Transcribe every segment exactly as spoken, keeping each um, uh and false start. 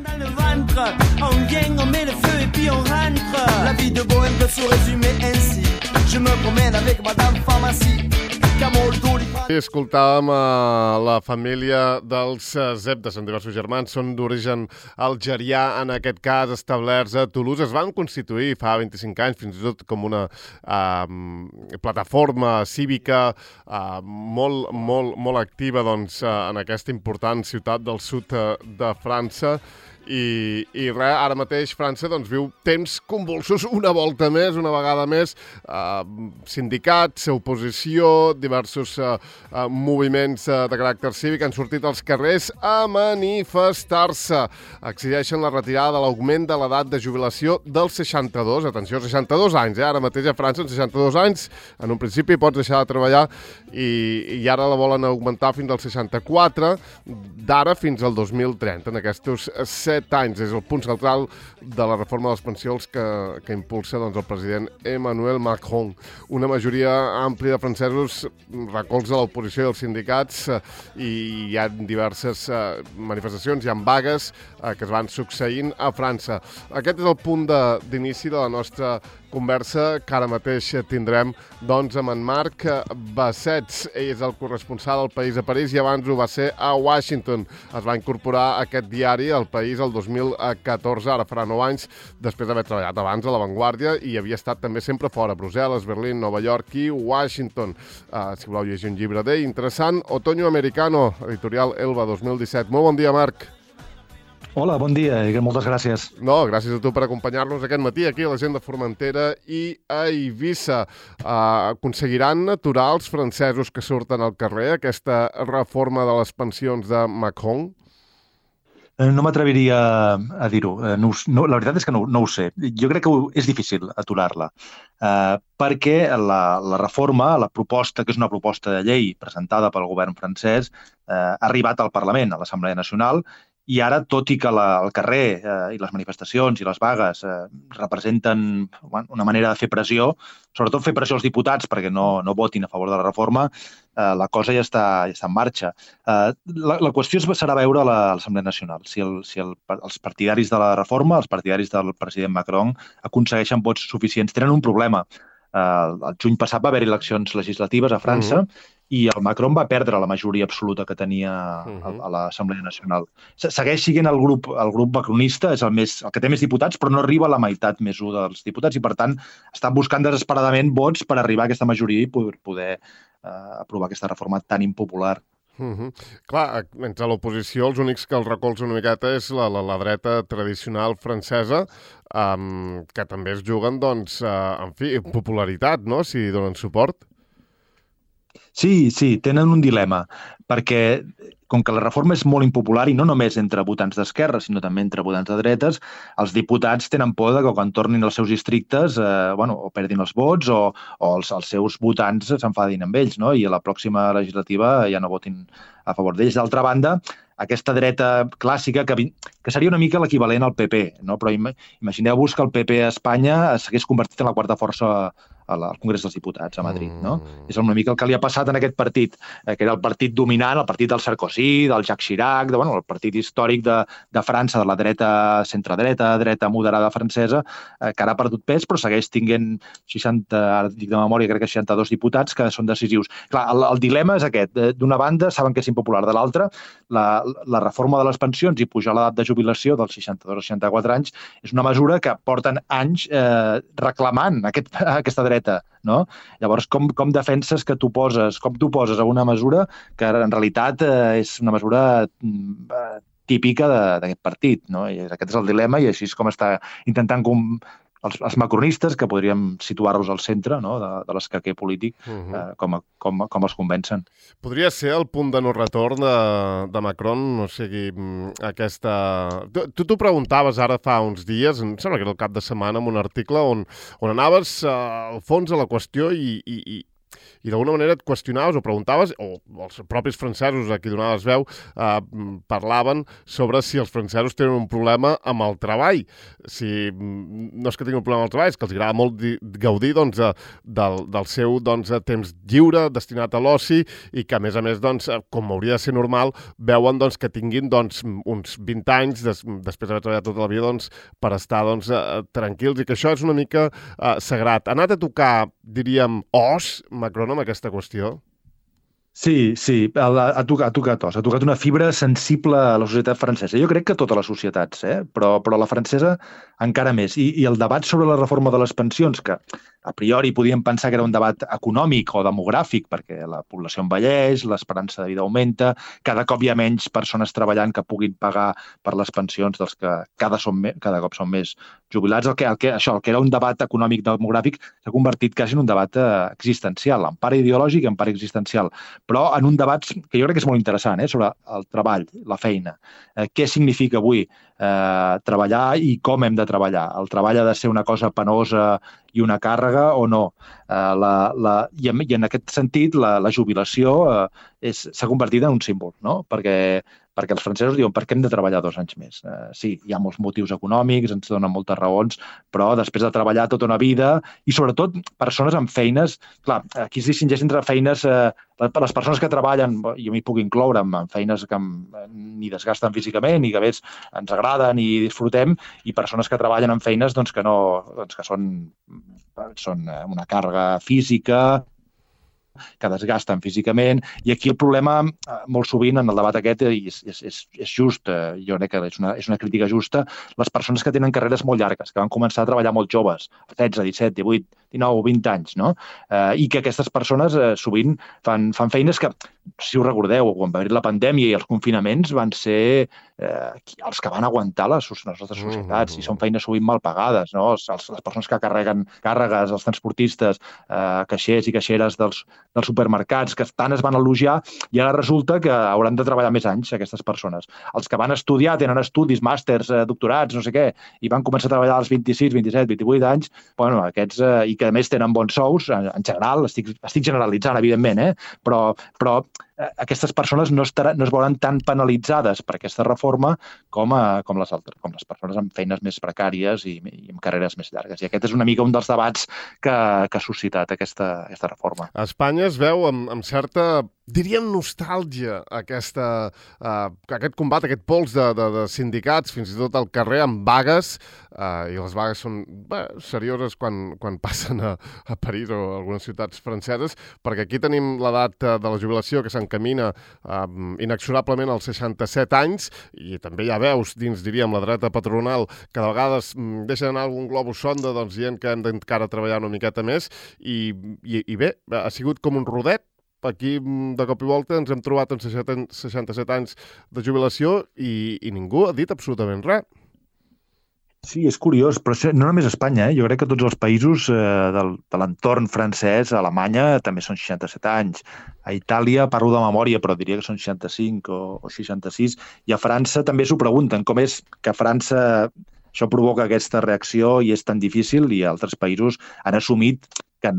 Dans le ventre, on vient, on met le feu et puis on rentre. La vie de bohème peut se résumer ainsi. Je me promène avec madame pharmacie. I escoltàvem a la família dels Zebda, són diversos germans, són d'origen algerià, en aquest cas establerts a Toulouse. Es van constituir fa vint-i-cinc anys, fins i tot com una uh, plataforma cívica uh, molt, molt, molt activa doncs, uh, en aquesta important ciutat del sud uh, de França. I, i res, ara mateix França doncs, viu temps convulsos una volta més, una vegada més, eh, sindicats, oposició, diversos eh, eh, moviments eh, de caràcter cívic han sortit als carrers a manifestar-se. Exigeixen la retirada de l'augment de l'edat de jubilació dels seixanta-dos, atenció, seixanta-dos anys, eh? Ara mateix a França, en seixanta-dos anys, en un principi pots deixar de treballar i, i ara la volen augmentar fins als seixanta-quatre, d'ara fins al dos mil trenta, en aquests set anys. És el punt central de la reforma de les pensions que, que impulsa doncs, el president Emmanuel Macron. Una majoria àmplia de francesos recolza l'oposició i els sindicats eh, i hi ha diverses eh, manifestacions, hi ha vagues eh, que es van succeint a França. Aquest és el punt d'inici de, de la nostra conversa que ara mateix tindrem doncs, amb en Marc Bassets. Ell és el corresponsal del País a París i abans ho va ser a Washington. Es va incorporar a aquest diari, El País, el dos mil catorze, ara farà nou anys, després d'haver treballat abans a La Vanguardia i havia estat també sempre fora, Brussel·les, Berlín, Nova York i Washington. Uh, si voleu llegir un llibre d'ell, interessant, Otoño Americano, editorial Elba dos mil disset. Molt bon dia, Marc. Hola, bon dia i moltes gràcies. No, gràcies a tu per acompanyar-nos aquest matí aquí a la gent de Formentera i a Eivissa. Uh, aconseguiran aturar els francesos que surten al carrer aquesta reforma de les pensions de Macron? No m'atreviria a dir-ho. No, no, la veritat és que no, no ho sé. Jo crec que és difícil aturar-la, uh, perquè la, la reforma, la proposta, que és una proposta de llei presentada pel govern francès, uh, ha arribat al Parlament, a l'Assemblea Nacional, i ara, tot i que la, el carrer eh, i les manifestacions i les vagues eh, representen bueno, una manera de fer pressió, sobretot fer pressió als diputats perquè no, no votin a favor de la reforma, eh, la cosa ja està, ja està en marxa. Eh, la, la qüestió serà veure a l'Assemblea Nacional si, el, si el, els partidaris de la reforma, els partidaris del president Macron, aconsegueixen vots suficients. Tenen un problema. Eh, el juny passat va haver eleccions legislatives a França, uh-huh. i el Macron va perdre la majoria absoluta que tenia a, a l'Assemblea Nacional. Segueix sent el grup, el grup macronista, és el, més, el que té més diputats, però no arriba a la meitat més un dels diputats i, per tant, estan buscant desesperadament vots per arribar a aquesta majoria i poder, poder uh, aprovar aquesta reforma tan impopular. Uh-huh. Clar, entre l'oposició els únics que el recolzen una miqueta és la, la, la dreta tradicional francesa, um, que també es juguen, doncs, uh, en fi, popularitat, no?, si donen suport. Sí, sí, tenen un dilema, perquè com que la reforma és molt impopular i no només entre votants d'esquerra, sinó també entre votants de dretes, els diputats tenen por de que quan tornin als seus districtes eh, bueno, o perdin els vots o, o els, els seus votants s'enfadin amb ells, no? I a la pròxima legislativa ja no votin a favor d'ells. D'altra banda, aquesta dreta clàssica, que, que seria una mica l'equivalent al P P, no? Però imagineu-vos que el P P a Espanya s'hagués convertit en la quarta força al Congrés dels Diputats a Madrid, no? Mm. És una mica el que li ha passat en aquest partit, eh, que era el partit dominant, el partit del Sarkozy, del Jacques Chirac, de, bueno, el partit històric de, de França, de la dreta centredreta, dreta moderada francesa, eh, que ara ha perdut pes, però segueix tinguent seixanta, ara dic de memòria, crec que seixanta-dos diputats que són decisius. Clar, el, el dilema és aquest. D'una banda, saben que és impopular. De l'altra, la, la reforma de les pensions i pujar l'edat de jubilació dels seixanta-dos a seixanta-quatre anys és una mesura que porten anys eh, reclamant aquest, aquesta dreta. No? Llavors, com, com defenses que tu poses, com tu poses a una mesura que en realitat eh, és una mesura eh, típica d'aquest partit, no? I aquest és el dilema i així és com està intentant com els, els macronistes, que podríem situar-los al centre, no? de, de l'escaquer polític, uh-huh. eh, com, com, com els convencen. Podria ser el punt de no retorn de, de Macron, o sigui, aquesta... Tu t'ho preguntaves ara fa uns dies, em sembla que era el cap de setmana, en un article on, on anaves uh, al fons de la qüestió i, i, i i d'alguna manera et qüestionaves o preguntaves, o els propis francesos a qui donaves veu eh, parlaven sobre si els francesos tenen un problema amb el treball. Si no és que tinguin un problema amb el treball, és que els agrada molt di- gaudir doncs, eh, del, del seu doncs, temps lliure destinat a l'oci i que, a més a més, doncs, com hauria de ser normal, veuen doncs, que tinguin doncs, uns vint anys des, després d'haver treballat tota la vida doncs, per estar doncs, eh, tranquils i que això és una mica eh, sagrat. Ha anat a tocar, diríem, os, Macron, amb aquesta qüestió? Sí, sí, ha, ha, tocat, ha tocat os, ha tocat una fibra sensible a la societat francesa. Jo crec que totes les societats, eh? però, però la francesa encara més. I, I el debat sobre la reforma de les pensions, que a priori podíem pensar que era un debat econòmic o demogràfic, perquè la població envelleix, l'esperança de vida augmenta, cada cop hi ha menys persones treballant que puguin pagar per les pensions dels que cada, són me, cada cop són més jubilats. El que, el que, això, el que era un debat econòmic demogràfic s'ha convertit quasi en un debat eh, existencial, en part ideològic i en part existencial, però en un debat que jo crec que és molt interessant, eh, sobre el treball, la feina. Eh, què significa avui eh, treballar i com hem de treballar? El treball ha de ser una cosa penosa i una càrrega o no? Eh, la, la, i, en, I en aquest sentit la, la jubilació eh, s'ha convertit en un símbol, no? Perquè, perquè els francesos diuen per què hem de treballar dos anys més? Eh, sí, hi ha molts motius econòmics, ens donen moltes raons, però després de treballar tota una vida i sobretot persones amb feines, clar, aquí es distingeix entre feines, eh, les persones que treballen, jo m'hi puc incloure, amb feines que ni desgasten físicament ni que més ens agraden i disfrutem, i persones que treballen en feines doncs, que, no, doncs, que són, són una càrrega física, que desgasten físicament, i aquí el problema molt sovint en el debat aquest és, és, és, és just, jo crec que és una, és una crítica justa, les persones que tenen carreres molt llargues, que van començar a treballar molt joves, setze, disset, divuit, dinou, vint anys, no? Eh, I que aquestes persones eh, sovint fan, fan feines que, si us recordeu, quan va haver la pandèmia i els confinaments van ser eh, els que van aguantar les, les nostres societats, i són feines sovint mal pagades, no? Els, els, les persones que carreguen càrregues, els transportistes, eh, caixers i caixeres dels, dels supermercats, que tant es van elogiar, i ara resulta que hauran de treballar més anys, aquestes persones. Els que van estudiar, tenen estudis, màsters, eh, doctorats, no sé què, i van començar a treballar als vint-i-sis, vint-i-set, vint-i-vuit anys, bueno, aquests, eh, i que a més tenen bons sous, en, en general, estic, estic generalitzant, evidentment, eh? però, però eh, aquestes persones no, estarà, no es veuran tan penalitzades per aquesta reforma com, a, com, les altres, com les persones amb feines més precàries i, i amb carreres més llargues. I aquest és una mica un dels debats que, que ha suscitat aquesta, aquesta reforma. A Espanya es veu amb, amb certa, diríem, nostàlgia aquesta, uh, aquest combat, aquest pols de, de, de sindicats, fins i tot al carrer, amb vagues, uh, i les vagues són bé, serioses quan, quan passen a, a París o a algunes ciutats franceses, perquè aquí tenim l'edat de la jubilació que s'encamina uh, inexorablement als seixanta-set anys, i també hi ha veus dins, diríem, la dreta patronal, que de vegades um, deixen anar algun globus sonda doncs, dient que hem d'encara treballar una miqueta més, i, i, i bé, ha sigut com un rodet. Aquí, de cop i volta, ens hem trobat en seixanta-set anys de jubilació i, i ningú ha dit absolutament res. Sí, és curiós, però no només a Espanya, eh? Jo crec que tots els països eh, del, de l'entorn francès, a Alemanya, també són seixanta-set anys. A Itàlia, parlo de memòria, però diria que són seixanta-cinc o, o seixanta-sis. I a França també s'ho pregunten, com és que a França això provoca aquesta reacció i és tan difícil, i altres països han assumit que,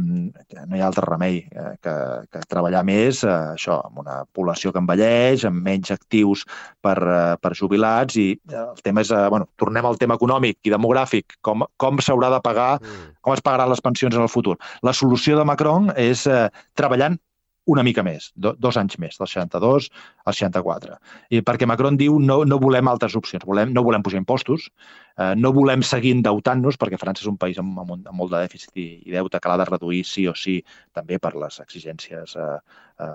que no hi ha altre remei eh, que, que treballar més, eh, això, amb una població que envelleix, amb menys actius per, eh, per jubilats, i el tema és, eh, bueno, tornem al tema econòmic i demogràfic, com, com s'haurà de pagar, mm. com es pagaran les pensions en el futur. La solució de Macron és eh, treballant una mica més, do, dos anys més, del seixanta-dos al seixanta-quatre. I perquè Macron diu no, no volem altres opcions, volem, no volem pujar impostos, eh, no volem seguir endeutant-nos, perquè França és un país amb, amb, amb molt de dèficit i, i deute que l'ha de reduir sí o sí, també per les exigències eh, eh,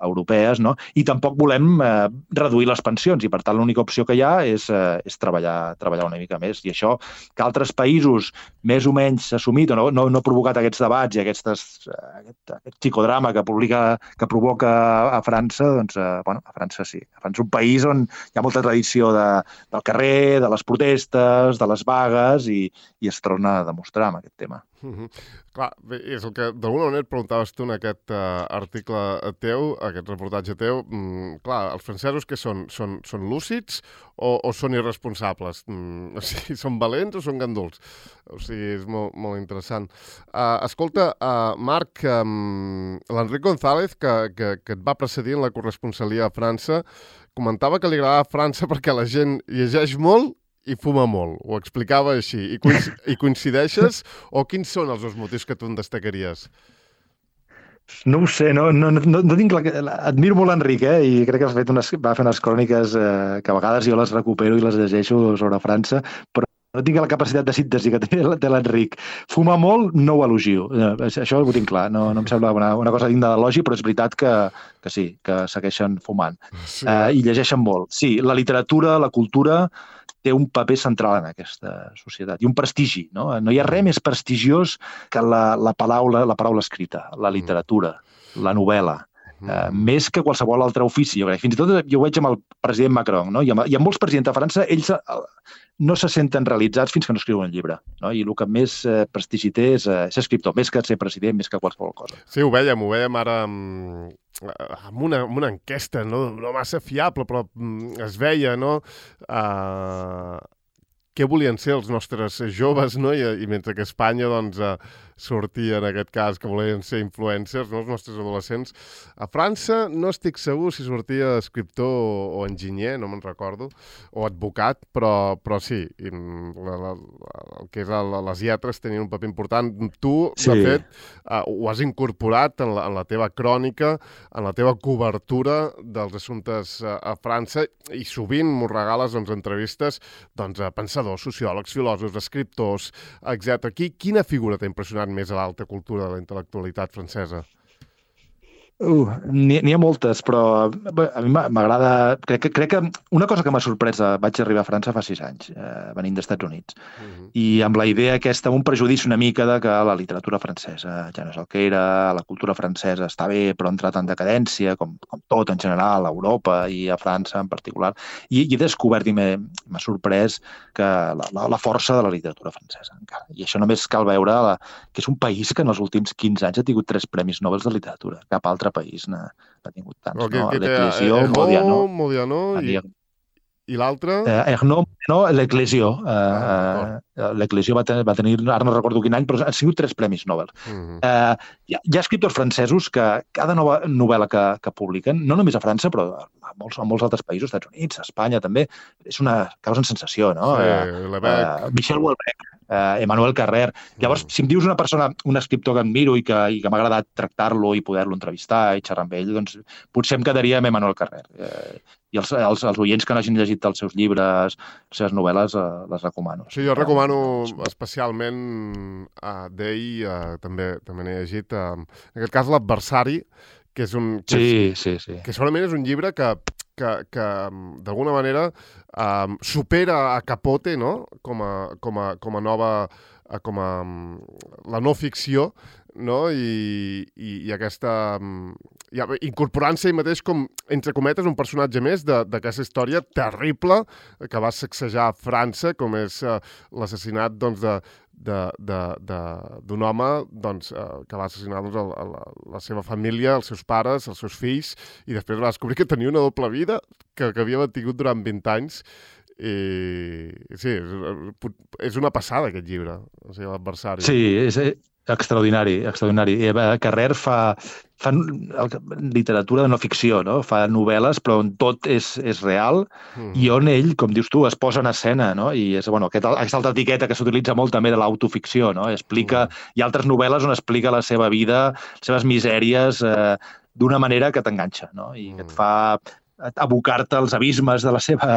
europees, no? I tampoc volem eh, reduir les pensions, i per tant l'única opció que hi ha és, eh, és treballar, treballar una mica més. I això que altres països més o menys s'ha assumit o no, no, no ha provocat aquests debats i aquestes, aquest, aquest psicodrama que publica que provoca a França, doncs, eh, bueno, a França sí. A França és un país on hi ha molta tradició de, del carrer, de les protestes, joves, de les vagues, i, i es torna a demostrar amb aquest tema. Mm-hmm. Clar, bé, és el que d'alguna manera et preguntaves tu en aquest uh, article teu, aquest reportatge teu. Mm, clar, els francesos què són? Són, són lúcids o, o són irresponsables? Mm, o sigui, són valents o són ganduls? O sigui, és molt, molt interessant. Uh, escolta, uh, Marc, um, l'Enric González, que, que, que et va precedir en la corresponsalia a França, comentava que li agradava França perquè la gent llegeix molt i fuma molt, ho explicava així. I, coinc i coincideixes? O quins són els dos motius que tu en destacaries? No ho sé, no, no, no, no tinc la... Admiro molt l'Enric, eh? I crec que ha fet unes, va fer unes cròniques eh, que a vegades jo les recupero i les llegeixo sobre França, però no tinc la capacitat de síntesi que té l'Enric. Fumar molt, no ho elogio. Això ho tinc clar. No, no em sembla una, una cosa digna d'elogi, però és veritat que, que sí, que segueixen fumant. Sí. Uh, I llegeixen molt. Sí, la literatura, la cultura té un paper central en aquesta societat i un prestigi, no? No hi ha res més prestigiós que la, la, paraula, la paraula escrita, la literatura, la novel·la. Uh, més que qualsevol altre ofici, jo crec. Fins i tot jo ho veig amb el president Macron, no? I amb, i amb molts presidents de França, ells uh, no se senten realitzats fins que no escriuen un llibre, no? I el que més uh, prestigi té és uh, ser escriptor, més que ser president, més que qualsevol cosa. Sí, ho vèiem, ho vèiem ara amb, amb, una, amb una enquesta, no, no massa fiable, però mm, es veia, no? Uh, què volien ser els nostres joves, no? I, i mentre que a Espanya, doncs, uh, sortia, en aquest cas, que volien ser influencers, no? Els nostres adolescents. A França no estic segur si sortia escriptor o, o enginyer, no me'n recordo, o advocat, però, però sí, la, la, el que és la, les lletres tenien un paper important. Tu, sí. De fet, uh, ho has incorporat en la, en la teva crònica, en la teva cobertura dels assumptes uh, a França, i sovint m'ho regales, doncs, entrevistes, doncs, a pensadors, sociòlegs, filòsofs, escriptors, etcètera. Qui, quina figura t'ha impressionat més a l'alta cultura de la intel·lectualitat francesa? Uh, N'hi ha moltes, però a mi m'agrada... Crec que, crec que una cosa que m'ha sorprès, vaig arribar a França fa sis anys, eh, venint dels Estats Units, uh-huh. I amb la idea aquesta, amb un prejudici una mica de que la literatura francesa ja no és el que era, la cultura francesa està bé, però ha entrat en decadència, com, com tot en general, a Europa i a França en particular, i, i he descobert i m'ha sorprès que la, la, la força de la literatura francesa, encara. I això només cal veure la, que és un país que en els últims quinze anys ha tingut tres premis Nobel de literatura, cap altre país n'ha tingut tants, okay, no? L'Eclésia, Modiano, Modiano i, i l'altre? Eh, Ernaud, no, l'Eclésia. Eh, ah, L'Eclésia va, ten va tenir, ara no recordo quin any, però han sigut tres premis Nobel. Uh -huh. eh, hi, ha, hi ha escriptors francesos que cada nova novel·la que, que publiquen, no només a França, però a molts, a molts altres països, Estats Units, a Espanya també, és una causa en sensació, no? Sí, eh, eh, Michel Houellebecq, eh, Emmanuel Carrère. Llavors, si em dius una persona, un escriptor que admiro i que, i que m'ha agradat tractar-lo i poder-lo entrevistar i xerrar amb ell, doncs potser em quedaria amb Emmanuel Carrère. Eh, I els, els, els oients que no hagin llegit els seus llibres, les seves novel·les, eh, les recomano. Sí, jo recomano especialment uh, d'ell, uh, també també n'he llegit, uh, en aquest cas l'Adversari, que és un... Que sí, és, sí, sí. Que segurament és un llibre que, que, que d'alguna manera um, supera a Capote, no?, com a, com a, com a nova... com a la no ficció, no? I, i, i aquesta... Ja, incorporant-se ell mateix com, entre cometes, un personatge més d'aquesta història terrible que va sacsejar a França, com és uh, l'assassinat, doncs, de d'un home, doncs, uh, que va assassinar, doncs, a la, la seva família, els seus pares, els seus fills, i després va descobrir que tenia una doble vida que, que havia mantingut durant vint anys. I sí, és, és una passada aquest llibre, o sigui, l'Adversari. Sí, és extraordinari, extraordinari. Carrère fa, fa literatura de no ficció, no? Fa novel·les, però on tot és, és real, mm. i on ell, com dius tu, es posa en escena, no? I és, bueno, aquest, aquesta altra etiqueta que s'utilitza molt també de l'autoficció, no? Explica, mm. Hi ha altres novel·les on explica la seva vida, les seves misèries, eh, d'una manera que t'enganxa, no? I que et fa abocar-te als abismes de la seva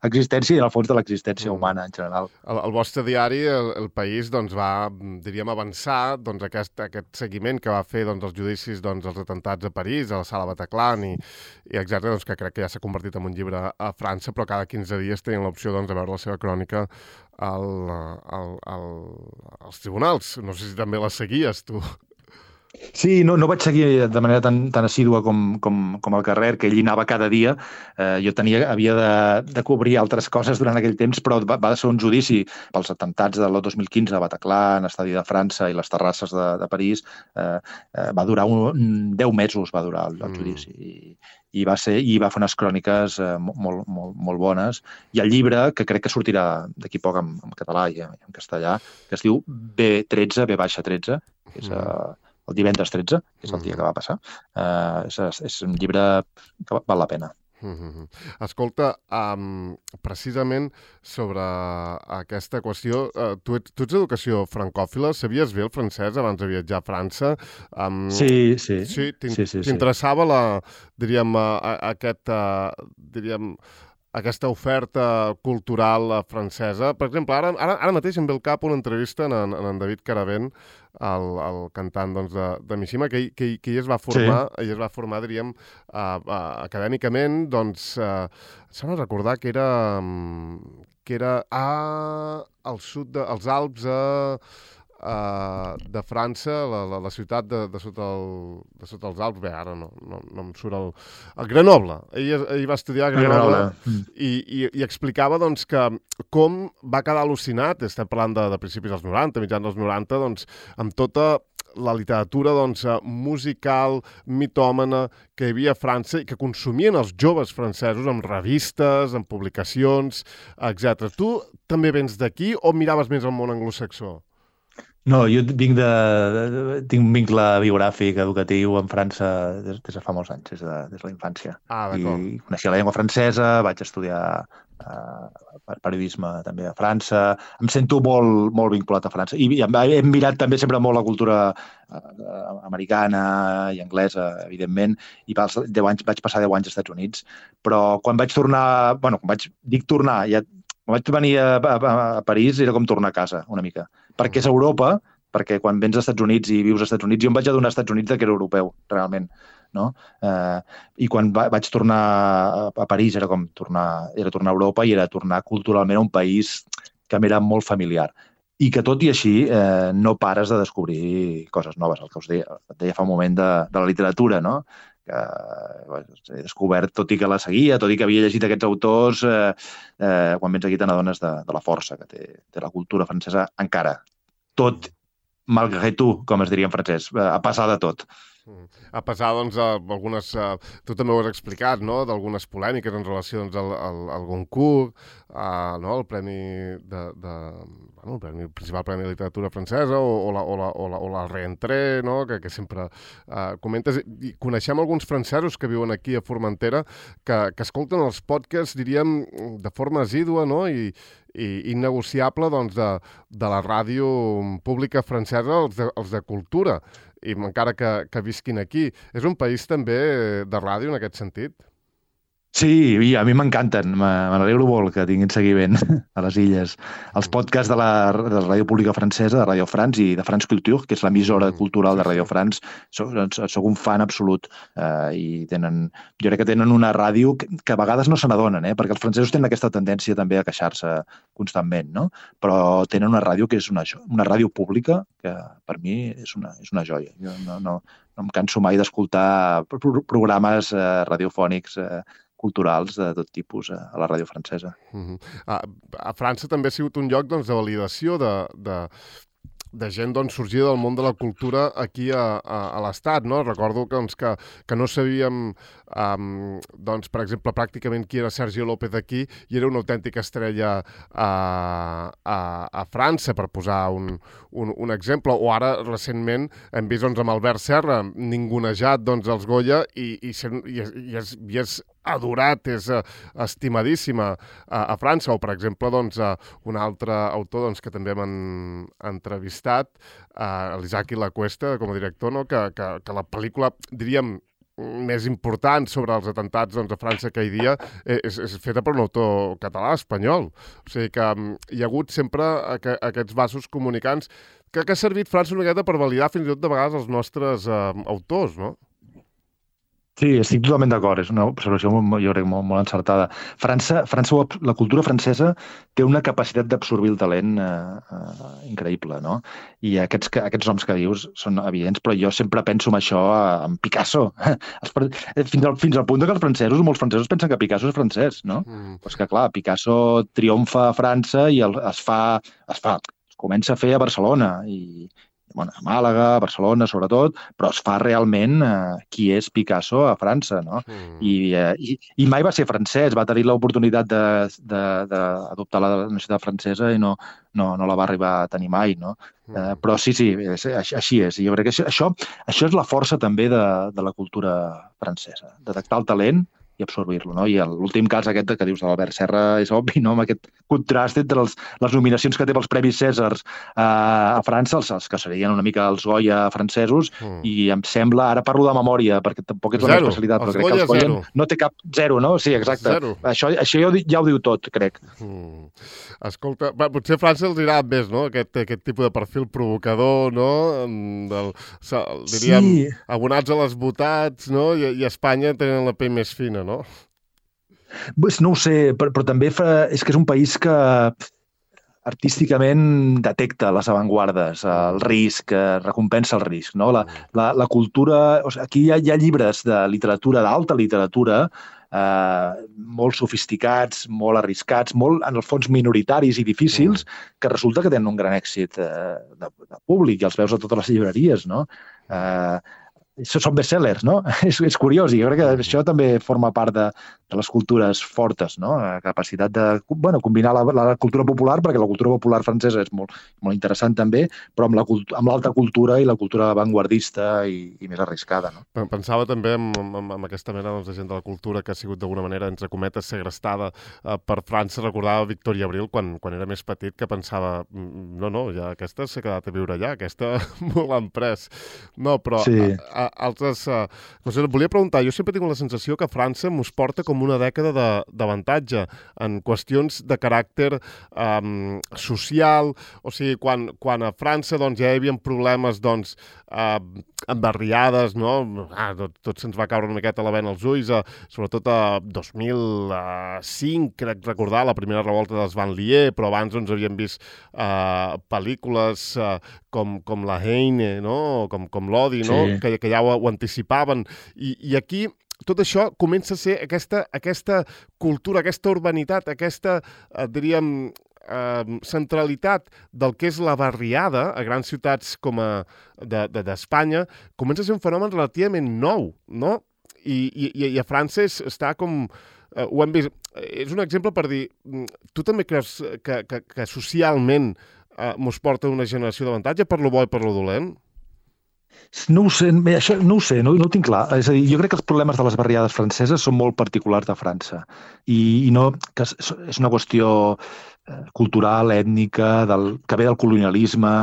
existència i, en el fons, de l'existència mm. humana en general. El, el vostre diari, el, el País, doncs, va, diríem, avançar doncs, aquest, aquest seguiment que va fer, doncs, els judicis, doncs, els atentats a París, a la Sala Bataclan i, i etcètera, doncs, que crec que ja s'ha convertit en un llibre a França, però cada quinze dies tenien l'opció, doncs, de veure la seva crònica al, al, al, als tribunals. No sé si també la seguies, tu. Sí, no, no vaig seguir de manera tan, tan assídua com, com, com el Carrer, que ell hi anava cada dia. Eh, jo tenia, havia de, de cobrir altres coses durant aquell temps, però va, va ser un judici pels atemptats de l'any dos mil quinze a Bataclan, Estadi de França i les terrasses de, de París. Eh, eh, va durar un, deu mesos, va durar el, el judici. I, i va ser i va fer unes cròniques eh, molt, molt, molt bones. I el llibre, que crec que sortirà d'aquí poc en, en català i en, en castellà, que es diu B tretze, B baixa tretze, que és... Eh, el divendres tretze, que és el dia que va passar. Uh, és, és un llibre que val la pena. Mm-hmm. Escolta, um, precisament sobre aquesta qüestió, uh, tu, ets, tu ets d'educació francòfila, sabies bé el francès abans de viatjar a França? Um, sí, sí. Sí, sí, sí, t'interessava sí. la, diríem, uh, aquest, uh, diríem, aquesta oferta cultural francesa. Per exemple, ara, ara, ara mateix em ve al cap una entrevista en, en, en David Caravent, el, el cantant doncs, de, de Mishima, que, que, que ell es va formar, sí. ell es va formar, diríem, uh, uh, acadèmicament, doncs, uh, s'ha de recordar que era, que era a, al sud dels Alps, a... Uh, de França, la, la, la ciutat de, de, sota el, de sota els Alps, bé, ara no, no, no em surt el... el Grenoble. Ell, ell va estudiar a Grenoble, Grenoble. I, i, i explicava doncs, que com va quedar al·lucinat, estem parlant de, de principis dels noranta, mitjans dels noranta, doncs, amb tota la literatura doncs, musical, mitòmana, que hi havia a França i que consumien els joves francesos amb revistes, amb publicacions, etcètera. Tu també vens d'aquí o miraves més el món anglosaxó? No, jo vinc de, de, tinc un vincle biogràfic, educatiu amb França des, des de fa molts anys, des de, des de la infància. Ah, d'acord. I coneixia la llengua francesa, vaig estudiar uh, periodisme també a França. Em sento molt, molt vinculat a França. I he mirat també sempre molt la cultura uh, americana i anglesa, evidentment, i pels deu anys, vaig passar deu anys als Estats Units. Però quan vaig tornar, bueno, quan vaig, dic tornar, ja quan vaig venir a, a, a París era com tornar a casa, una mica. Perquè és Europa, perquè quan vens als Estats Units i vius als Estats Units, jo em vaig adonar als Estats Units que era europeu, realment. No? Eh, I quan va, vaig tornar a, a París era com tornar, era tornar a Europa i era tornar culturalment a un país que m'era molt familiar. I que tot i així eh, no pares de descobrir coses noves, el que us deia, et deia fa un moment de, de la literatura, no? que he descobert, tot i que la seguia, tot i que havia llegit aquests autors, eh, eh, quan vens aquí te n'adones de, de la força que té, té la cultura francesa encara. Tot, malgré tu, com es diria en francès, a passar de tot. A pesar, doncs, d'algunes... Tu també ho has explicat, no?, d'algunes polèmiques en relació doncs, al, al, al Goncourt, uh, no?, el premi de... de bueno, el, premi, el principal premi de literatura francesa o, o, la, o, la, o, la, o la Reentrée, no?, que, que sempre uh, comentes. I coneixem alguns francesos que viuen aquí a Formentera que, que escolten els podcasts, diríem, de forma assídua, no?, i, i innegociable, doncs, de, de la ràdio pública francesa, els de, els de cultura, i encara que, que visquin aquí. És un país també de ràdio en aquest sentit? Sí, i a mi m'encanten, me n'alegro molt que tinguin seguiment a les illes. Els podcasts de la, de la ràdio pública francesa, de Radio France i de France Culture, que és l'emissora cultural de Radio France, soc, soc un fan absolut. Eh, i tenen, jo crec que tenen una ràdio que, que a vegades no se n'adonen, eh, perquè els francesos tenen aquesta tendència també a queixar-se constantment, no? Però tenen una ràdio que és una, una ràdio pública que per mi és una, és una joia. Jo no, no, no em canso mai d'escoltar programes eh, radiofònics eh, culturals de tot tipus a la ràdio francesa. Uh-huh. a, a França també ha sigut un lloc doncs, de validació de, de, de gent doncs, sorgida del món de la cultura aquí a, a, a l'Estat, no? Recordo que, doncs, que, que no sabíem, um, doncs, per exemple, pràcticament qui era Sergio López aquí i era una autèntica estrella a, a, a França, per posar un, un, un exemple. O ara, recentment, hem vist doncs, amb Albert Serra, ningunejat doncs, els Goya i, i, i, i, és, i és adorat, és uh, estimadíssima a, a França. O, per exemple, doncs, uh, un altre autor doncs, que també hem entrevistat, uh, l'Isaki Lacuesta, com a director, no? que, que, que la pel·lícula, diríem, més important sobre els atentats doncs, a França aquell dia és, és feta per un autor català, espanyol. O sigui que um, hi ha hagut sempre aqu aquests vasos comunicants que, que ha servit França una miqueta per validar fins i tot de vegades els nostres uh, autors, no? Sí, estic totalment d'acord, és una observació molt, jo crec, molt, molt encertada. França, França, la cultura francesa té una capacitat d'absorbir el talent eh, eh, increïble, no? I aquests, aquests noms que dius són evidents, però jo sempre penso en això, en Picasso. Fins al, fins al punt que els francesos, molts francesos pensen que Picasso és francès, no? Mm. Pues que clar, Picasso triomfa a França i el, es fa, es fa, es comença a fer a Barcelona i bueno, a Màlaga, a Barcelona, sobretot, però es fa realment eh, qui és Picasso a França, no? Mm. I, eh, i, I mai va ser francès, va tenir l'oportunitat d'adoptar la nacionalitat francesa i no, no, no la va arribar a tenir mai, no? Mm. Eh, però sí, sí, és, així és. I jo crec que això, això és la força també de, de la cultura francesa, detectar el talent i absorbir-lo, no? I l'últim cas aquest que dius de l'Albert Serra és obvi, no? Amb aquest contrast entre els, les nominacions que té pels Premis Cèsars eh, a França, els, els que serien una mica els Goya francesos, mm. i em sembla, ara parlo de memòria, perquè tampoc és la meva especialitat, però crec que els Goya no té cap zero, no? Sí, exacte. Zero. Això, això ja, ho, ja ho diu tot, crec. Mm. Escolta, va, potser a França els irà més, no? Aquest, aquest tipus de perfil provocador, no? Del, diríem, sí. Abonats a les botats, no? I, i a Espanya tenen la pell més fina, no? Pues no ho sé, però, però també fa, és que és un país que artísticament detecta les avantguardes, el risc, recompensa el risc, no? La, la, la cultura... O sigui, aquí hi ha, hi ha llibres de literatura, d'alta literatura, eh, molt sofisticats, molt arriscats, molt, en el fons, minoritaris i difícils, que resulta que tenen un gran èxit eh, de, de públic i els veus a totes les llibreries, no? Eh, són bestsellers, no? És, és curiós i jo crec que això també forma part de, de les cultures fortes, no? La capacitat de bueno, combinar la, la cultura popular, perquè la cultura popular francesa és molt, molt interessant també, però amb, la, amb l'alta cultura i la cultura avantguardista i, i més arriscada, no? Pensava també en, en, en aquesta mena doncs, de gent de la cultura que ha sigut d'alguna manera, entre cometes, segrestada eh, per França. Recordava Victoria Abril quan, quan era més petit, que pensava no, no, ja aquesta s'ha quedat a viure allà, aquesta me l'han pres. No, però... Sí. A, a, altres... Uh, no sé, volia preguntar, jo sempre tinc la sensació que França mos porta com una dècada d'avantatge en qüestions de caràcter um, social, o sigui, quan, quan a França doncs, ja hi havia problemes doncs, uh, amb barriades, no? Ah, tot, tot se'ns va caure una miqueta la vena als ulls, uh, sobretot a dos mil cinc, crec recordar, la primera revolta dels Banlieue, però abans doncs, havíem vist uh, pel·lícules uh, com, com La Haine, no? Com, com l'Odi, no? Sí. Que, que ja ho, ho anticipaven. I, i aquí tot això comença a ser aquesta, aquesta cultura, aquesta urbanitat, aquesta, eh, diríem, eh, centralitat del que és la barriada a grans ciutats com a d'Espanya, de, de, comença a ser un fenomen relativament nou, no? I, i, i a França és, està com... Eh, ho hem vist. És un exemple per dir, tu també creus que, que, que socialment eh, mos porta una generació d'avantatge per lo bo i per lo dolent? No ho sé, això no ho sé, no, no ho tinc clar. És a dir, jo crec que els problemes de les barriades franceses són molt particulars de França i, i no, que és, és una qüestió eh, cultural, ètnica, del, que ve del colonialisme,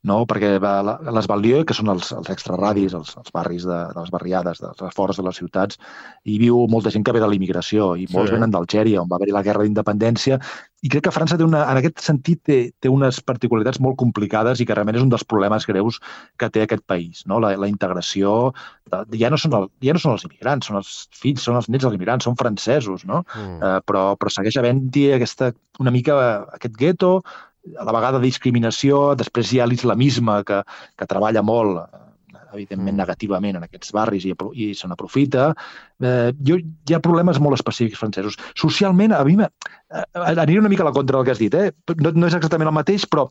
no? Perquè la, les Banlieue, que són els, els extraradis, els, els barris de, de les barriades, dels afores de les ciutats, hi viu molta gent que ve de la immigració i molts sí. venen d'Algèria, on va haver-hi la guerra d'independència. I crec que França té una, en aquest sentit té, té unes particularitats molt complicades i que realment és un dels problemes greus que té aquest país, no? La, la integració, de, ja, no són el, ja no són els immigrants, són els fills, són els nets dels immigrants, són francesos, no? Mm. Uh, però, però segueix havent-hi aquesta, una mica aquest gueto, a la vegada discriminació, després hi ha l'islamisme que, que treballa molt, evidentment negativament en aquests barris i, i se n'aprofita. Eh, jo, hi ha problemes molt específics francesos. Socialment, a mi eh, aniré una mica a la contra del que has dit, eh? no, no és exactament el mateix, però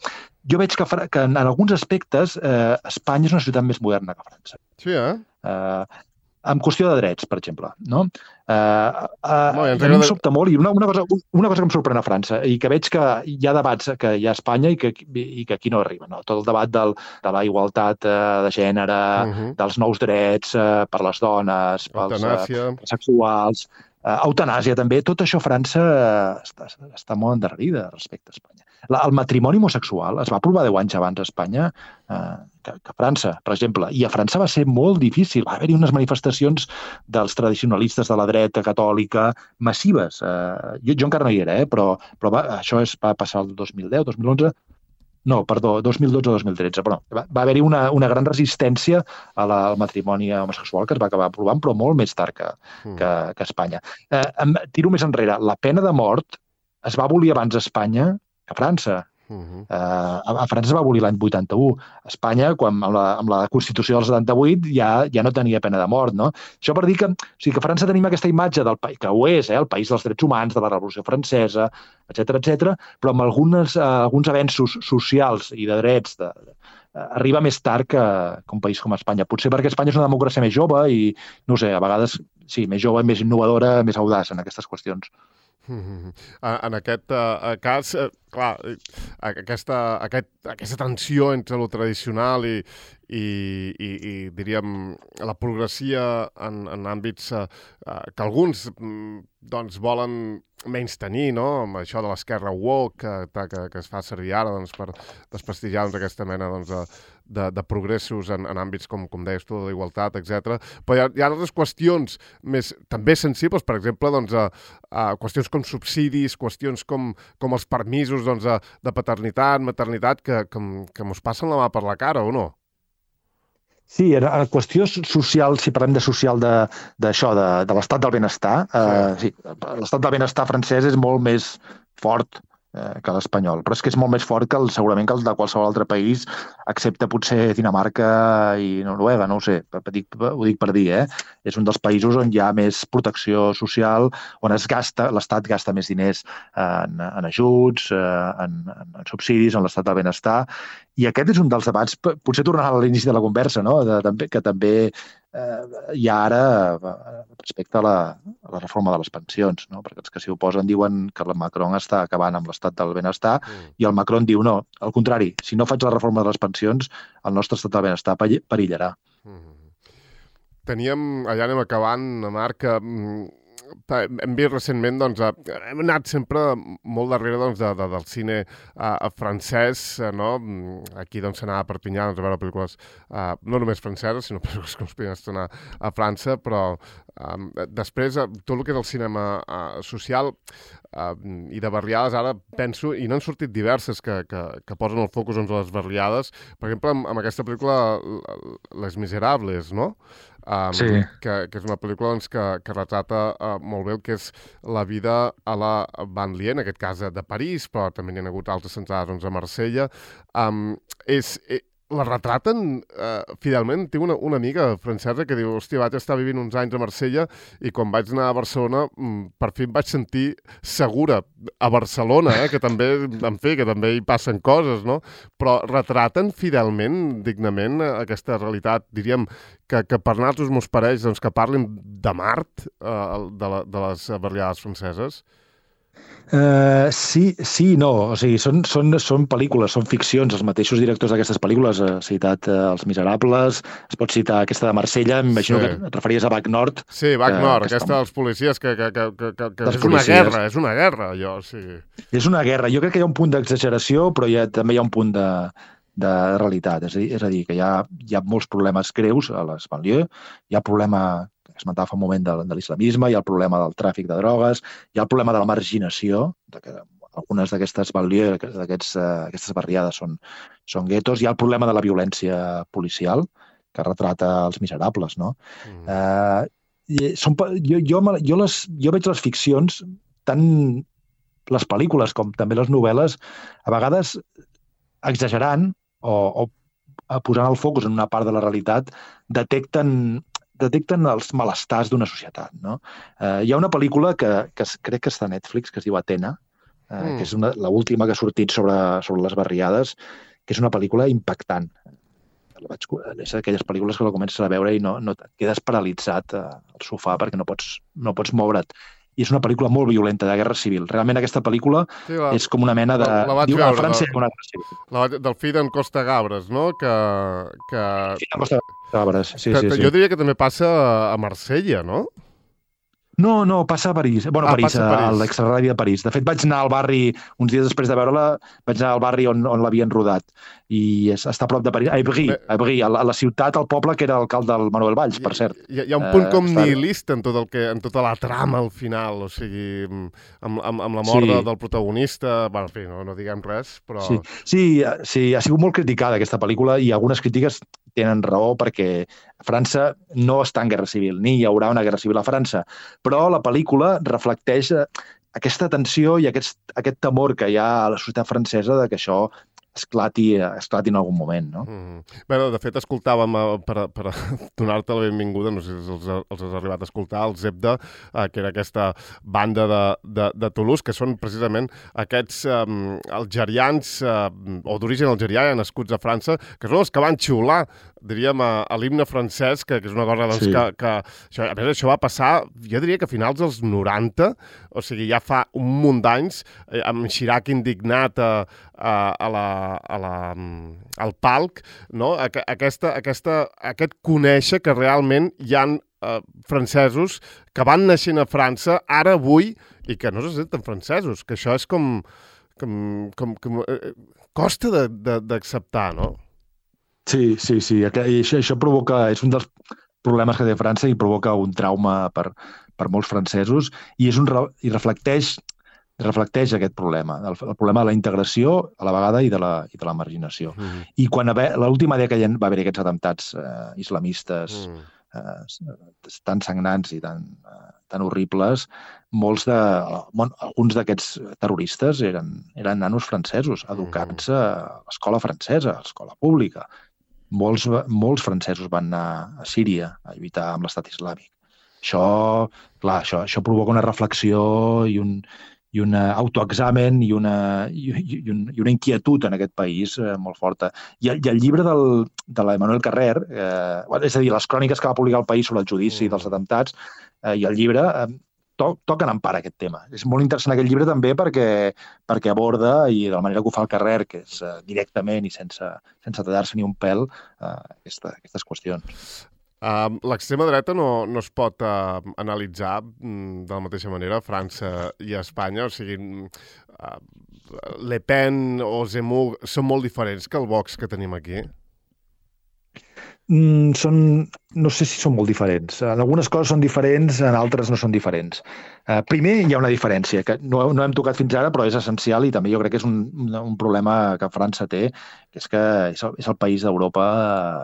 jo veig que, que en, en alguns aspectes eh, Espanya és una ciutat més moderna que França. Sí, eh? eh en qüestió de drets, per exemple. No? Uh, uh, no, a mi em sobta molt, i una, una, cosa, una cosa que em sorprèn a França, i que veig que hi ha debats que hi ha a Espanya i que, i que aquí no arriben. No? Tot el debat del, de la igualtat uh, de gènere, uh -huh. dels nous drets uh, per les dones, pels uh, sexuals, uh, eutanàsia també, tot això a França uh, està, està molt endarrerida respecte a Espanya. La, el matrimoni homosexual es va aprovar deu anys abans a Espanya eh, que, que a França, per exemple. I a França va ser molt difícil. Va haver-hi unes manifestacions dels tradicionalistes de la dreta catòlica massives. Eh, jo, jo encara no hi era, eh, però, però va, això es va passar el dos mil deu, dos mil onze. No, perdó, dos mil dotze o dos mil tretze, però va, va haver-hi una, una gran resistència a la, al matrimoni homosexual que es va acabar aprovant, però molt més tard que, mm. que, que a Espanya. Eh, em, tiro més enrere. La pena de mort es va abolir abans a Espanya que a França. Uh-huh. Uh, a, a França es va abolir l'any vuitanta-u. A Espanya, quan, amb, la, amb la Constitució del setanta-vuit, ja, ja no tenia pena de mort, no? Això per dir que, o sigui, que a França tenim aquesta imatge del país, que ho és, eh, el país dels drets humans, de la Revolució Francesa, etcètera, etcètera, però amb algunes, uh, alguns avenços socials i de drets de, de, uh, arriba més tard que, que un país com Espanya. Potser perquè Espanya és una democràcia més jove i, no sé, a vegades, sí, més jove, més innovadora, més audaç en aquestes qüestions. Mm-hmm. En aquest uh, cas, uh, clar, aquesta, aquest, aquesta tensió entre lo tradicional i, i, i, i diríem, la progressia en, en àmbits uh, que alguns doncs, volen menys tenir, no?, amb això de l'esquerra woke que, que, que es fa servir ara doncs, per desprestigiar doncs, aquesta mena doncs, de, de, de progressos en, en àmbits com, com deies tu, de la igualtat, etcètera. Però hi ha, hi ha altres qüestions més, també sensibles, per exemple, doncs, a, a qüestions com subsidis, qüestions com, com els permisos doncs, a, de paternitat, maternitat, que, que, que mos passen la mà per la cara, o no? Sí, en qüestió social, si parlem de social d'això, de, de, de l'estat del benestar, sí. Eh, sí, l'estat del benestar francès és molt més fort eh, que l'espanyol, però és que és molt més fort que el, segurament que el de qualsevol altre país, excepte potser Dinamarca i Noruega, no ho sé, dic, ho dic per dir, eh? És un dels països on hi ha més protecció social, on es gasta, l'estat gasta més diners en, en ajuts, en, en subsidis, en l'estat del benestar, i aquest és un dels debats, potser tornant a l'inici de la conversa, no? de, de, que també eh, hi ha ara respecte a la, a la reforma de les pensions, no? Perquè els que s'hi oposen diuen que el Macron està acabant amb l'estat del benestar mm. i el Macron diu no, al contrari, si no faig la reforma de les pensions, el nostre estat del benestar perillarà. Mm. Teníem, allà anem acabant, Marc, hem vist recentment, doncs, hem anat sempre molt darrere doncs, de, de, del cine uh, francès, uh, no? Aquí doncs s'anava a Perpinyà doncs, a veure pel·lícules uh, no només franceses, sinó pel·lícules que es podien estrenar a França, però um, després uh, tot el que és el cinema uh, social uh, i de barriades, ara penso, i n'han sortit diverses que, que, que posen el focus doncs, a les barriades, per exemple, amb, amb aquesta pel·lícula Les Miserables, no? Um, sí. que, que és una pel·lícula doncs, que, que retrata uh, molt bé el que és la vida a la banlieue, en aquest cas de París, però també n'hi ha hagut altres centrades doncs, a Marsella. Um, és, eh, la retraten uh, fidelment. Tinc una, una amiga francesa que diu, hòstia, vaig estar vivint uns anys a Marsella i quan vaig anar a Barcelona mm, per fi em vaig sentir segura a Barcelona, eh, que també, en fi, que també hi passen coses, no? Però retraten fidelment, dignament, aquesta realitat, diríem, que, que per nosaltres mos pareix doncs, que parlin de Mart, uh, de, la, de les barriades franceses. Uh, sí, sí, no. O sigui, són, són, són pel·lícules, són ficcions. Els mateixos directors d'aquestes pel·lícules, ha citat uh, Els Miserables, es pot citar aquesta de Marsella, m'imagino sí. que et referies a Bac Nord. Sí, Bac que, Nord, que aquesta dels policies, que, que, que, que, que és policies. una guerra, és una guerra, allò, sí. És una guerra. Jo crec que hi ha un punt d'exageració, però hi ha, també hi ha un punt de, de realitat. És a dir, és a dir que hi ha, hi ha molts problemes greus a les banlieues, hi ha problema que esmentava fa un moment de, de l'islamisme, hi ha el problema del tràfic de drogues, hi ha el problema de la marginació, de que algunes d'aquestes banlieues, d'aquestes uh, barriades són, són guetos, hi ha el problema de la violència policial, que retrata Els Miserables, no? Mm. Uh, són, jo, jo, jo, les, jo veig les ficcions, tant les pel·lícules com també les novel·les, a vegades exagerant o, o posant el focus en una part de la realitat, detecten detecten els malestars d'una societat. No? Eh, hi ha una pel·lícula que, que crec que està a Netflix, que es diu Atena, eh, mm. que és l'última que ha sortit sobre, sobre les barriades, que és una pel·lícula impactant. Vaig, és aquelles pel·lícules que la comences a veure i no, no quedes paralitzat eh, al sofà perquè no pots, no pots moure't. I és una pel·lícula molt violenta, de guerra civil. Realment aquesta pel·lícula sí, la, és com una mena de... La, la diu, veure, a França hi ha una guerra civil. La, del fill d'en Costa Gabres, no? Que, que... Sí, Costa Gabres, sí, que, sí, que sí. Jo diria que també passa a Marsella, no? No, no, passa a París. Bueno, Ah, París, passa a a París. l'extraradi de París. De fet, vaig anar al barri, uns dies després de veure-la, vaig anar al barri on, on l'havien rodat. I és, està a prop de París. A Ivry, Bé. a Ivry, a la, a la ciutat, al poble que era alcalde del Manuel Valls, per cert. Hi, hi ha un punt Eh, com està- nihilista en, tot el que, en tota la trama al final, o sigui, amb, amb, amb la mort Sí. de, del protagonista, bueno, en fi, no, no diguem res, però... Sí, sí, sí, ha sigut molt criticada aquesta pel·lícula i algunes crítiques tenen raó perquè França no està en guerra civil, ni hi haurà una guerra civil a França, però la pel·lícula reflecteix eh, aquesta tensió i aquest, aquest temor que hi ha a la societat francesa de que això esclati, esclati en algun moment, no? Mm. Bé, de fet, escoltàvem, eh, per, per donar-te la benvinguda, no sé si els, els has arribat a escoltar, el Zebda, eh, que era aquesta banda de, de, de Toulouse, que són precisament aquests eh, algerians, eh, o d'origen algerià, nascuts a França, que són els que van xiular, diríem, a, a l'himne francès, que, que és una cosa doncs, Sí. que... que això, a més, això va passar, jo diria que a finals dels noranta, o sigui, ja fa un munt d'anys, eh, amb Chirac indignat a, a, a la, a la, al palc, no? Aquesta, aquesta, aquest conèixer que realment hi ha eh, francesos que van naixent a França, ara, avui, i que no se senten francesos, que això és com... com, com, com eh, costa d'acceptar, no? Sí, sí, sí. I això, això provoca... És un dels problemes que té França i provoca un trauma per, per molts francesos i, és un, i reflecteix, reflecteix aquest problema, el, el problema de la integració a la vegada i de la, i de la marginació. Mm. I quan l'última dècada va haver aquests atemptats eh, islamistes Mm. eh, tan sagnants i tan, eh, tan horribles, molts de, bueno, alguns d'aquests terroristes eren, eren nanos francesos, educats a l'escola francesa, a l'escola pública. Molts, molts francesos van anar a Síria a lluitar amb l'estat islàmic. Això, clar, això, això provoca una reflexió i un, i un autoexamen i una, i, i, un, i una inquietud en aquest país eh, molt forta. I el, i el llibre del, de l'Emmanuel Carrer, eh, és a dir, les cròniques que va publicar el País sobre el judici mm. dels atemptats, eh, i el llibre eh, to, toquen en part aquest tema. És molt interessant aquest llibre també perquè, perquè aborda, i de la manera que ho fa el Carrer, que és eh, directament i sense, sense tallar-se ni un pèl, eh, aquesta, aquestes qüestions. Uh, L'extrema dreta no, no es pot uh, analitzar mm, de la mateixa manera a França i a Espanya, o sigui, uh, Le Pen o Zemmour són molt diferents que el Vox que tenim aquí. Mm, són, no sé si són molt diferents. En algunes coses són diferents, en altres no són diferents. Uh, primer, hi ha una diferència que no, no hem tocat fins ara, però és essencial i també jo crec que és un, un problema que França té, que és que és el, és el país d'Europa,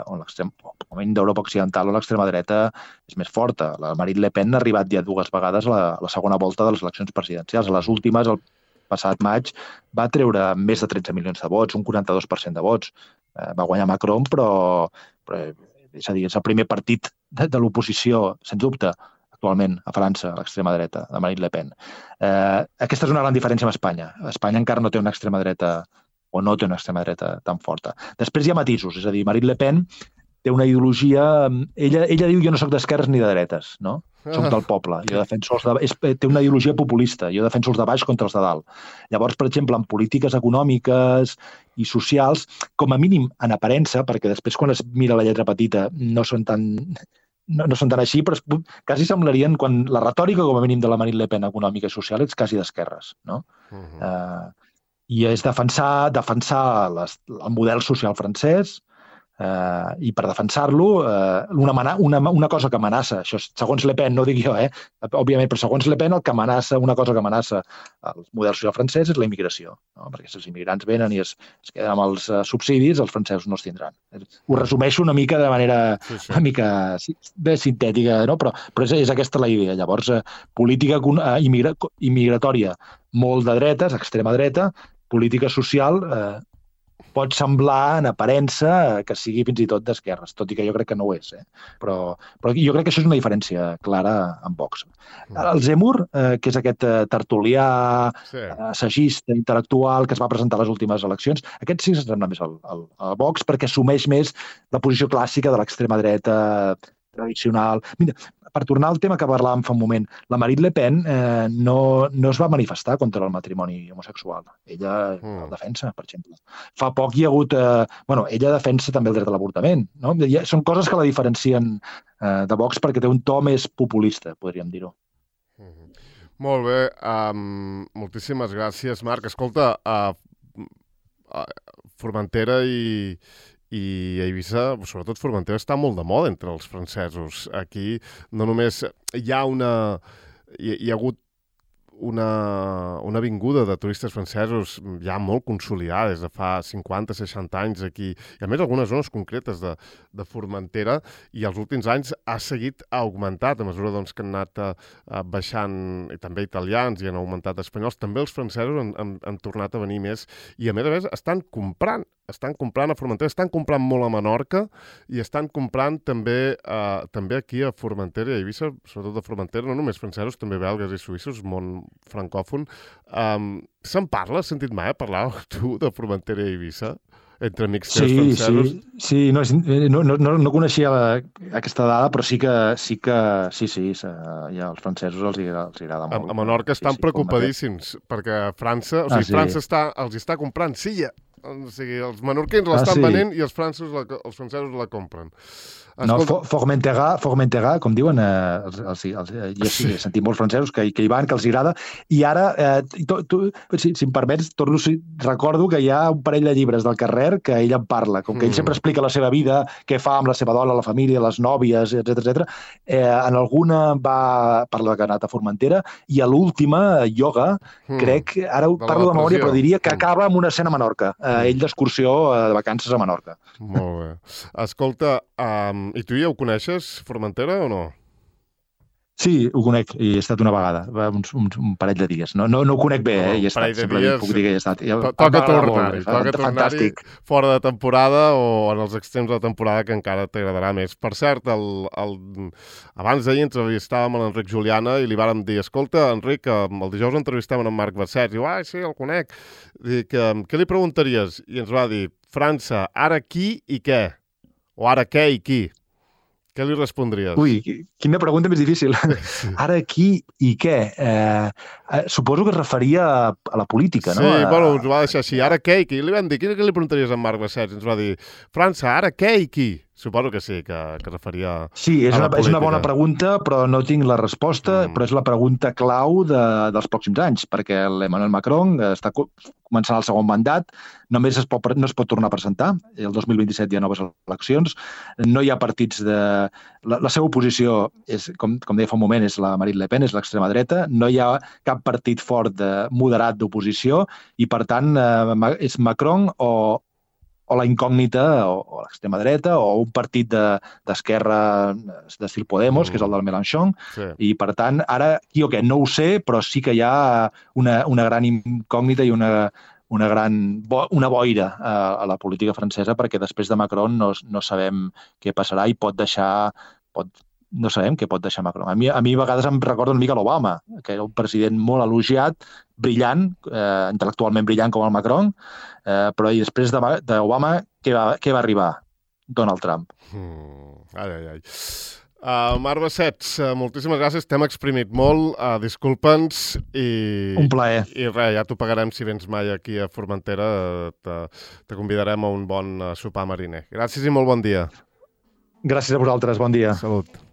on l'extrem, com a mínim d'Europa occidental, on l'extrema dreta és més forta. La Marine Le Pen ha arribat ja dues vegades a la, a la segona volta de les eleccions presidencials. A les últimes, el passat maig, va treure més de tretze milions de vots, un quaranta-dos per cent de vots. Uh, va guanyar Macron, però, però és a dir, és el primer partit de, de l'oposició, sens dubte, actualment a França, a l'extrema dreta, de Marine Le Pen. Eh, aquesta és una gran diferència amb Espanya. Espanya encara no té una extrema dreta, o no té una extrema dreta tan forta. Després hi ha matisos, és a dir, Marine Le Pen té una ideologia... Ella, ella diu jo no soc d'esquerres ni de dretes, no? Soc del poble. Jo defenso els de... és, té una ideologia populista. Jo defenso els de baix contra els de dalt. Llavors, per exemple, en polítiques econòmiques i socials, com a mínim en aparença, perquè després quan es mira la lletra petita no són tan, no, no són tan així, però es, quasi semblarien, quan la retòrica, com a mínim, de la Marine Le Pen econòmica i social, és quasi d'esquerres, no? Uh-huh. uh, I és defensar, defensar les, el model social francès, Uh, i per defensar-lo, uh, una, una, una cosa que amenaça, això segons Le Pen, no ho dic jo, eh? Òbviament, però segons Le Pen el que amenaça, una cosa que amenaça el model social francès és la immigració, no? Perquè si els immigrants venen i es, es queden amb els uh, subsidis, els francesos no els tindran. Ho resumeixo una mica de manera sí, sí. una mica bé sintètica, no? però, però és, és aquesta la idea. Llavors, uh, política uh, immigra immigratòria molt de dretes, extrema dreta, política social... Uh, pot semblar en aparença que sigui fins i tot d'esquerres, tot i que jo crec que no ho és. Eh? Però, però jo crec que això és una diferència clara amb Vox. El Zemmour, eh, que és aquest tertulià, sí. assagista, intel·lectual, que es va presentar a les últimes eleccions, aquest sí s'assembla més al, al, al Vox perquè assumeix més la posició clàssica de l'extrema dreta tradicional. Mira, per tornar al tema que parlàvem fa un moment, la Marine Le Pen eh, no, no es va manifestar contra el matrimoni homosexual. Ella mm. el defensa, per exemple. Fa poc hi ha hagut... Eh, bueno, ella defensa també el dret a l'avortament. No? Són coses que la diferencien eh, de Vox perquè té un to més populista, podríem dir-ho. Molt bé, um, moltíssimes gràcies, Marc. Escolta, uh, uh, Formentera i, i Eivissa, sobretot Formentera, està molt de moda entre els francesos. Aquí no només hi ha una... Hi, hi ha hagut una, una vinguda de turistes francesos ja molt consolidada des de fa cinquanta seixanta anys aquí, i a més algunes zones concretes de, de Formentera, i els últims anys ha seguit augmentat a mesura doncs, que han anat a, a baixant, i també italians, i han augmentat espanyols, també els francesos han, han, han tornat a venir més, i a més a més estan comprant, estan comprant a Formentera, estan comprant molt a Menorca, i estan comprant també, eh, també aquí a Formentera i a Eivissa, sobretot a Formentera, no només francesos, també belgues i suïssos, món francòfon. Um, se'n parla? Has sentit mai parlar tu de Formentera i Eivissa? Entre amics teus sí, francesos? Sí, sí, no, no, no, no coneixia la, aquesta dada, però sí que sí, que, sí, sí, ja als francesos els, els agrada molt. A, a Menorca estan sí, sí, preocupadíssims, perquè França, o sigui, ah, sí. França està, els està comprant silla. O sigui, els menorquins l'estan ah, sí. venent i els francesos la, els francesos la compren. Escolta... No, Formentera, Formentera, com diuen, eh, els, els, els, jo sí, he sentit molts francesos que, que hi van, que els agrada, i ara, eh, tu, tu, si, si em permets, torno, recordo que hi ha un parell de llibres del Carrer que ell en parla, com que ell mm. sempre explica la seva vida, què fa amb la seva dona, la família, les nòvies, etcètera, etcètera. Eh, en alguna va parlar que ha anat a Formentera, i a l'última, Yoga, mm. crec, ara de parlo de memòria, però diria que acaba amb una escena a Menorca, eh, ell d'excursió eh, de vacances a Menorca. Molt bé. Escolta, um, i tu ja ho coneixes, Formentera, o no? Sí, ho conec, i he estat una vegada, uns, uns, un parell de dies. No, no, no ho conec bé, eh? Hi he estat, sempre dies, puc dir que hi he estat. Toca tornar-hi, toca tornar-hi fora de temporada o en els extrems de temporada que encara t'agradarà més. Per cert, el, el, abans d'ahir entrevistàvem a l'Enric Juliana i li vàrem dir, escolta, Enric, el dijous entrevistem en Marc Bassets. Diu, ah, sí, el conec. Dic, què li preguntaries? I ens va dir, França, ara qui i què? O ara què i qui? Què li respondries? Ui, quina pregunta més difícil. Ara qui i què? Eh, eh, suposo que es referia a, a la política, no? Sí, bueno, ens va deixar així. Ara què i qui? Li vam dir, què li preguntaries a Marc Bassets? Ens va dir, França, ara què i qui? Suposo que sí, que, que referia sí, és a la una, política. És una bona pregunta, però no tinc la resposta, mm. però és la pregunta clau de, dels pròxims anys, perquè l'Emmanuel Macron està començant el segon mandat, només es pot, no es pot tornar a presentar, el dos mil vint-i-set hi ha noves eleccions, no hi ha partits de... La, la seva oposició, és, com, com deia fa un moment, és la Marine Le Pen, és l'extrema dreta, no hi ha cap partit fort de, moderat d'oposició, i per tant eh, és Macron o o la incògnita, o, o l'extrema dreta, o un partit d'esquerra de, d'estil Podemos, mm. que és el del Mélenchon, sí. I per tant, ara, qui o què, no ho sé, però sí que hi ha una, una gran incògnita i una, una gran bo, una boira a, a la política francesa, perquè després de Macron no, no sabem què passarà i pot deixar... Pot, no sabem què pot deixar Macron. A mi, a mi a vegades em recorda una mica l'Obama, que era un president molt elogiat, brillant, eh, intel·lectualment brillant com el Macron, eh, però i després d'Obama, què, va, què va arribar? Donald Trump. Mm, ai, ai, ai. Uh, Marc Bassets, uh, moltíssimes gràcies, t'hem exprimit molt, uh, disculpa'ns i... Un plaer. I res, ja t'ho pagarem si vens mai aquí a Formentera, te, te convidarem a un bon uh, sopar mariner. Gràcies i molt bon dia. Gràcies a vosaltres, bon dia. Salut.